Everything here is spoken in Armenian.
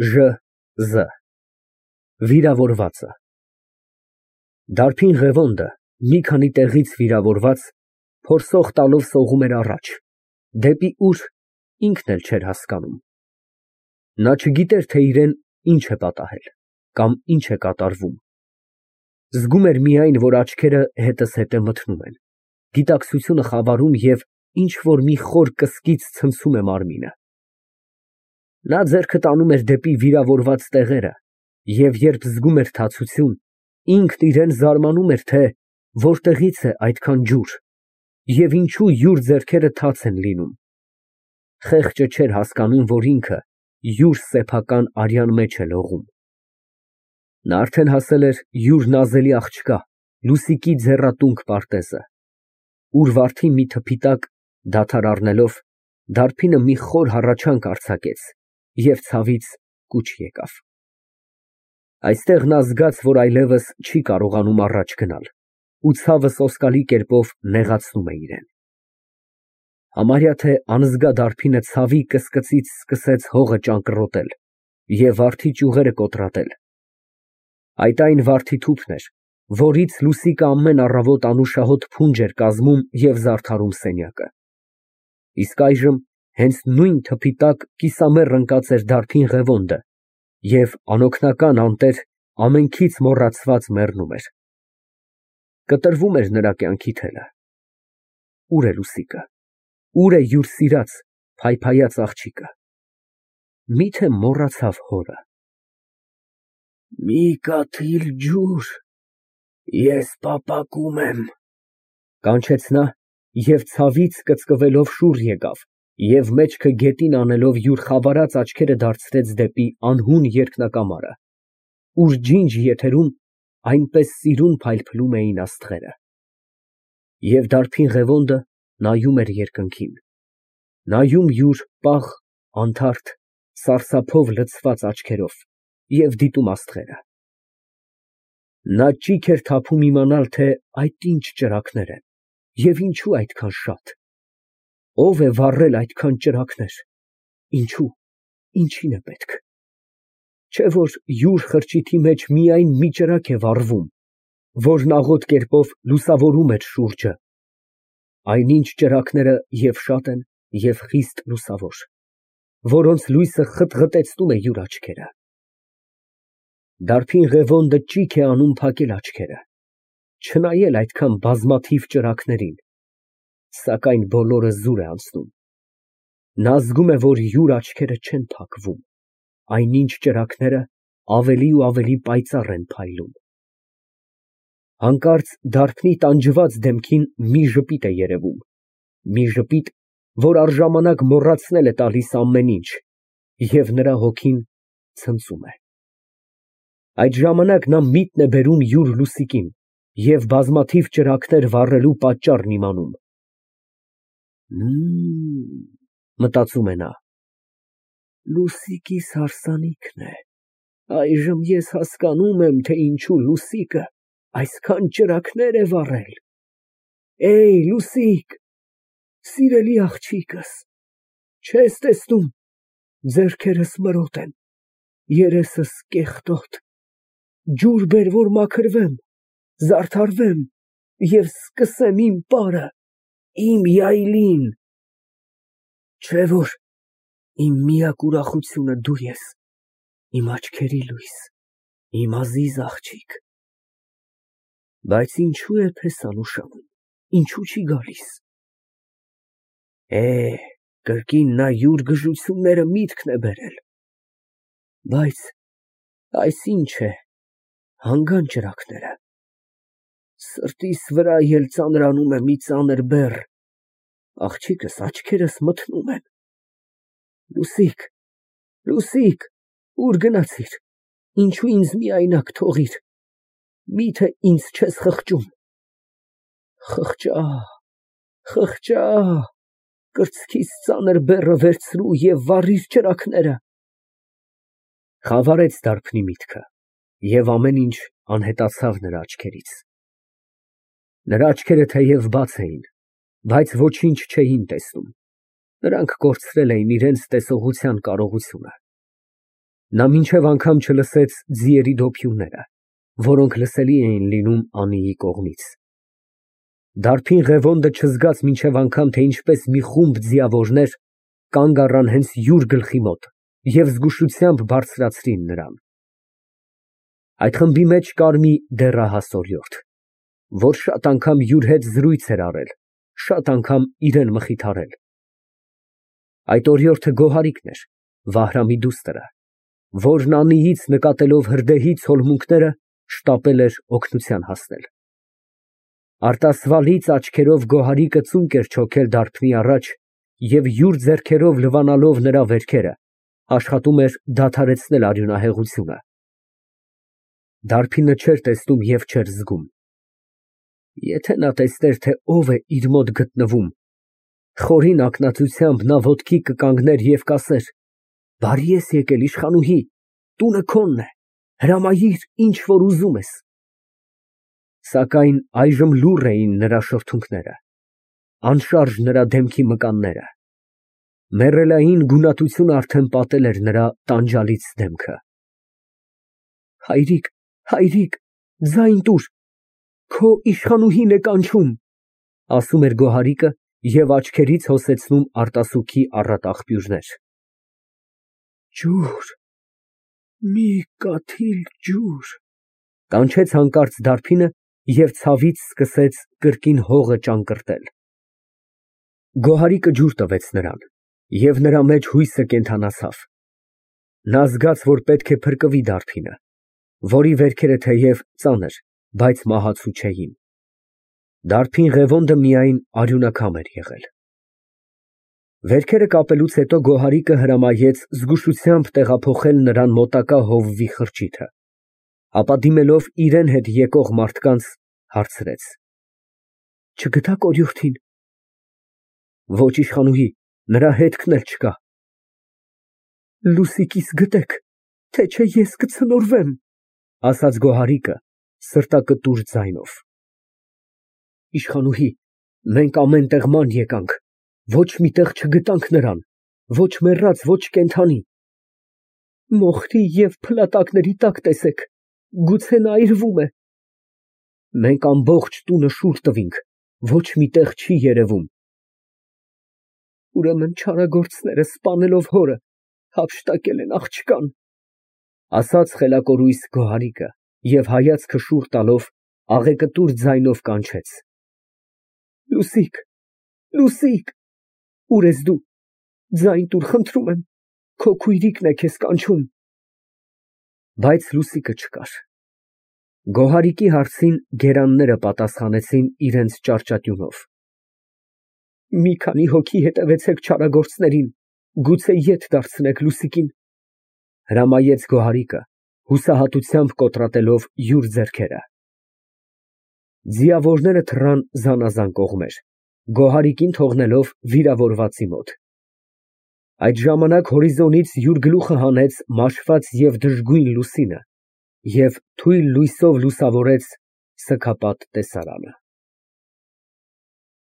Ժ վիրավորվածը Դարբին Ղևոնդը մի քանի տեղից վիրավորված փորձող տալով սողում էր առաջ, դեպի ուր ինքն էլ չէր հասկանում։ Նա չգիտեր, թե իրան ինչ է պատահել կամ ինչ է կատարվում։ Զգում էր միայն, որ աչքերը հետզհետե մթնում են, գիտակցությունը խավարում և ինչ֊որ մի խոր կսկիծ ցնցում է մարմինը։ Նա ձեռքը տանում էր դեպի վիրավորված տեղերը և երբ զգում էր թացություն, ինքն իրան զարմանում էր, թե որտեղից է այդքան ջուր և ինչու յուր ձեռքերը թաց են լինում։ Խեղճը չէր հասկանում, որ ինքը յուր սեփական արյան մեջ է լողում։ Նա արդեն հասել էր յուր նազելի աղջկա Լուսիկի ձեռատունկ պարտեզը, ուր վարդի մի թփի տակ դադար առնելով, դարբինը մի խոր հառաչանք արձակեց և ցավից կուչ եկավ։ Այստեղ նա զգաց, որ այլևս չի կարողանում առաջ գնալ, ու ցավը սոսկալի կերպով նեղացնում է իրան։ Համարյա թե անզգա դարբինը ցավի կսկծից սկսեց հողը ճանկռոտել և վարդի ճյուղերը կոտրատել։ Այդ այն վարդի թուփն էր, որից Լուսիկը ամեն առավոտ անուշահոտ փունջ էր կազմում և զարդարում սենյակը։ Իսկ այժմ հենց նույն թփի տակ կիսամեռ ընկած էր դարբին Ղևոնդը և անօգնական, անտեր, ամենքից մոռացված մեռնում էր։ Կտրվում էր նրա կյանքի թելը։ Ո՞ւր է Լուսիկը, ո՞ւր է յուր սիրած, փայփայած աղջիկը։ Մի՞թե մոռացավ հորը։ Մի կաթիլ ջուր, ես պապակում եմ, կանչեց նա և ցավից կծկվելով շուռ եկավ և մեջքը գետին անելով յուր խավարած աչքերը դարձրեց դեպի անհուն երկնակամարը, ուր ջինջ եթերում այնպես սիրուն փայլփլում էին աստղերը։ Եվ դարբին Ղևոնդը նայում էր երկնքին, նայում յուր պաղ, անթարթ, սարսափով լցված աչքերով և դիտում աստղերը։ Նա ճիգ էր թափում իմանալ, թե այդ ինչ ճրագներ են և ինչու այդքան շատ։ Ո՞վ է վառել այդքան ճրագներ, ինչո՞ւ, ինչին է պետք։ Չէ՞ որ յուր խրճիթի մեջ միայն մի ճրագ է վառվում, որն աղոտ կերպով լուսավորում էր շուրջը, այնինչ ճրագները և շատ են, և խիստ լուսավոր, որոնց լույսը խտղտեցնում է յուր աչքերը։ Դարբին Ղևոնդը ճիգ է անում փակել աչքերը, չնայել այդքան բազմաթիվ ճրագներին, սակայն բոլորը զուր է անցնում։ Նա զգում է, որ յուր աչքերը չեն փակվում, այնինչ ճրագները ավելի ու ավելի պայծառ են փայլում։ Հանկարծ դարբնի տանջված դեմքին մի ժպիտ է երևում, մի ժպիտ, որ առժամանակ մոռացնել է տալիս ամեն ինչ, և նրա հոգին ցնծում է։ Այդ ժամանակ նա միտն է բերում յուր Լուսիկին և բազմաթիվ ճրագներ վառելու պատճառն իմանում։ Մտածում է նա, Լուսիկիս հարսանիքն է, այժմ ես հասկանում եմ, թե ինչու Լուսիկը այսքան ճրագներ է վառել։ Լուսիկ, սիրելի աղջիկս, չես տեսնում, ձեռքերս մրոտ են, երեսս կեղտոտ, ջուր բեր, որ մաքրվեմ, զարդարվեմ և սկսեմ իմ պարը, իմ յայլին։ Չէ՞ որ իմ միակ ուրախությունը դու ես, իմ աչքերի լույս, իմ ազիզ աղջիկ։ Բայց ինչո՞ւ է պես անուշանում, ինչո՞ւ չի գալիս։ Կրկին նա յուր գժությունները միտքն է բերել։ Բայց այս ինչ է, հանգան ճրագները։ Սրտիս վրա էլ ծանրանում է մի ծանր բեռ, աղջիկս, աչքերս մթնում են։ Լուսիկ, Լուսիկ, ուր գնացիր, ինչու ինձ միայնակ թողիր, միթե ինձ չես խղճում։ Խղճա, կրծքիս ծանր բեռը վերցրու և վառիր ճրագները։ Խավարեց դարբնի միտքը, և ամեն ինչ անհետացավ նրա աչքերից։ Նրա աչքերը թեև բաց էին, բայց ոչինչ չէին տեսնում, նրանք կորցրել էին իրենց տեսողության կարողությունը։ Նա մինչև անգամ չլսեց ձիերի դոփյունները, որոնք լսելի էին լինում Անիի կողմից։ Դարբին Ղևոնդը չզգաց մինչև անգամ, թե ինչպես մի խումբ ձիավորներ կանգ առան հենց յուր գլխի մոտ և զգուշությամբ բարձրացրին նրան։ Այդ խմբի մեջ կար մի դեռահաս օրիորդ, որ շատ անգամ յուր հետ զրույց էր արել, շատ անգամ իրան մխիթարել։ Այդ օրիորդը Գոհարիկն էր, Վահրամի դուստրը, որն Անիից նկատելով հրդեհի ցոլմունքները, շտապել էր օգնության հասնել։ Արտասվալից աչքերով Գոհարիկը ծունկ էր չոքել դարբնի առաջ և յուր ձեռքերով լվանալով նրա վերքերը, աշխատում էր դադարեցնել արյունահեղությունը։ Դարբինը չէր տեսնում և չէր զգում։ Եթե նա տեսներ, թե ով է իր մոտ գտնվում, խորին ակնածությամբ նա ոտքի կկանգներ և կասեր. «Բարի ես եկել, իշխանուհի, տունը քոնն է, հրամայիր, ինչ որ ուզում ես»։ Սակայն այժմ լուռ էին նրա շրթունքները, անշարժ նրա դեմքի մկանները։ Մեռելային գունատությունը արդեն պատել էր նրա տանջալից դեմքը։ «Հայրիկ, հայրիկ, ձայն տուր, քո իշխանուհին է կանչում», ասում էր Գոհարիկը և աչքերից հոսեցնում արտասուքի առատ աղբյուրներ։ Ջուր, մի կաթիլ ջուր, կանչեց հանկարծ դարբինը և ցավից սկսեց կրկին հողը ճանկռտել։ Գոհարիկը ջուր տվեց նրան, և նրա մեջ հույսը կենդանացավ։ Նա զգաց, որ պետք է փրկվի դարբինը, որի վերքերը թեև ծանր, բայց մահացու չէին։ Դարբին Ղևոնդը միայն արյունաքամ էր եղել։ Վերքերը կապելուց հետո Գոհարիկը հրամայեց զգուշությամբ տեղափոխել նրան մոտակա հովվի խրճիթը, ապա դիմելով իրան հետ եկող մարդկանց, հարցրեց. «Չգտաք օրիորդին»։ «Ոչ, իշխանուհի, նրա հետքն էլ չկա»։ «Լուսիկիս գտեք, թե չէ ես կցնորվեմ», ասաց Գոհարիկը սրտակտուր ձայնով։ «Իշխանուհի, մենք ամեն տեղ ման եկանք, ոչ մի տեղ չգտանք նրան, ոչ մեռած, ոչ կենդանի»։ «Մոխրի և փլատակների տակ տեսեք, գուցե նա այրվում է»։ «Մենք ամբողջ տունը շուռ տվինք, ոչ մի տեղ չի երևում»։ «Ուրեմն չարագործները սպանելով հորը, հափշտակել են աղջկան», ասաց խելակորույս Գոհարիկը և հայացքը շուռ տալով աղեկտուր ձայնով կանչեց. «Լուսիկ, Լուսիկ, ուր ես դու, ձայն տուր, խնդրում եմ, քո քույրիկն է քեզ կանչում»։ Բայց Լուսիկը չկար։ Գոհարիկի հարցին գերանները պատասխանեցին իրենց ճարճատյունով։ «Մի քանի հոգի հետևեցեք չարագործներին, գուցե ետ դարձնեք Լուսիկին», հրամայեց Գոհարիկը, հուսահատությամբ կոտրատելով յուր ձեռքերը։ Ձիավորները թռան զանազան կողմեր, Գոհարիկին թողնելով վիրավորվածի մոտ։ Այդ ժամանակ հորիզոնից յուր գլուխը հանեց մաշված և դժգույն լուսինը և թույլ լույսով լուսավորեց սգապատ տեսարանը։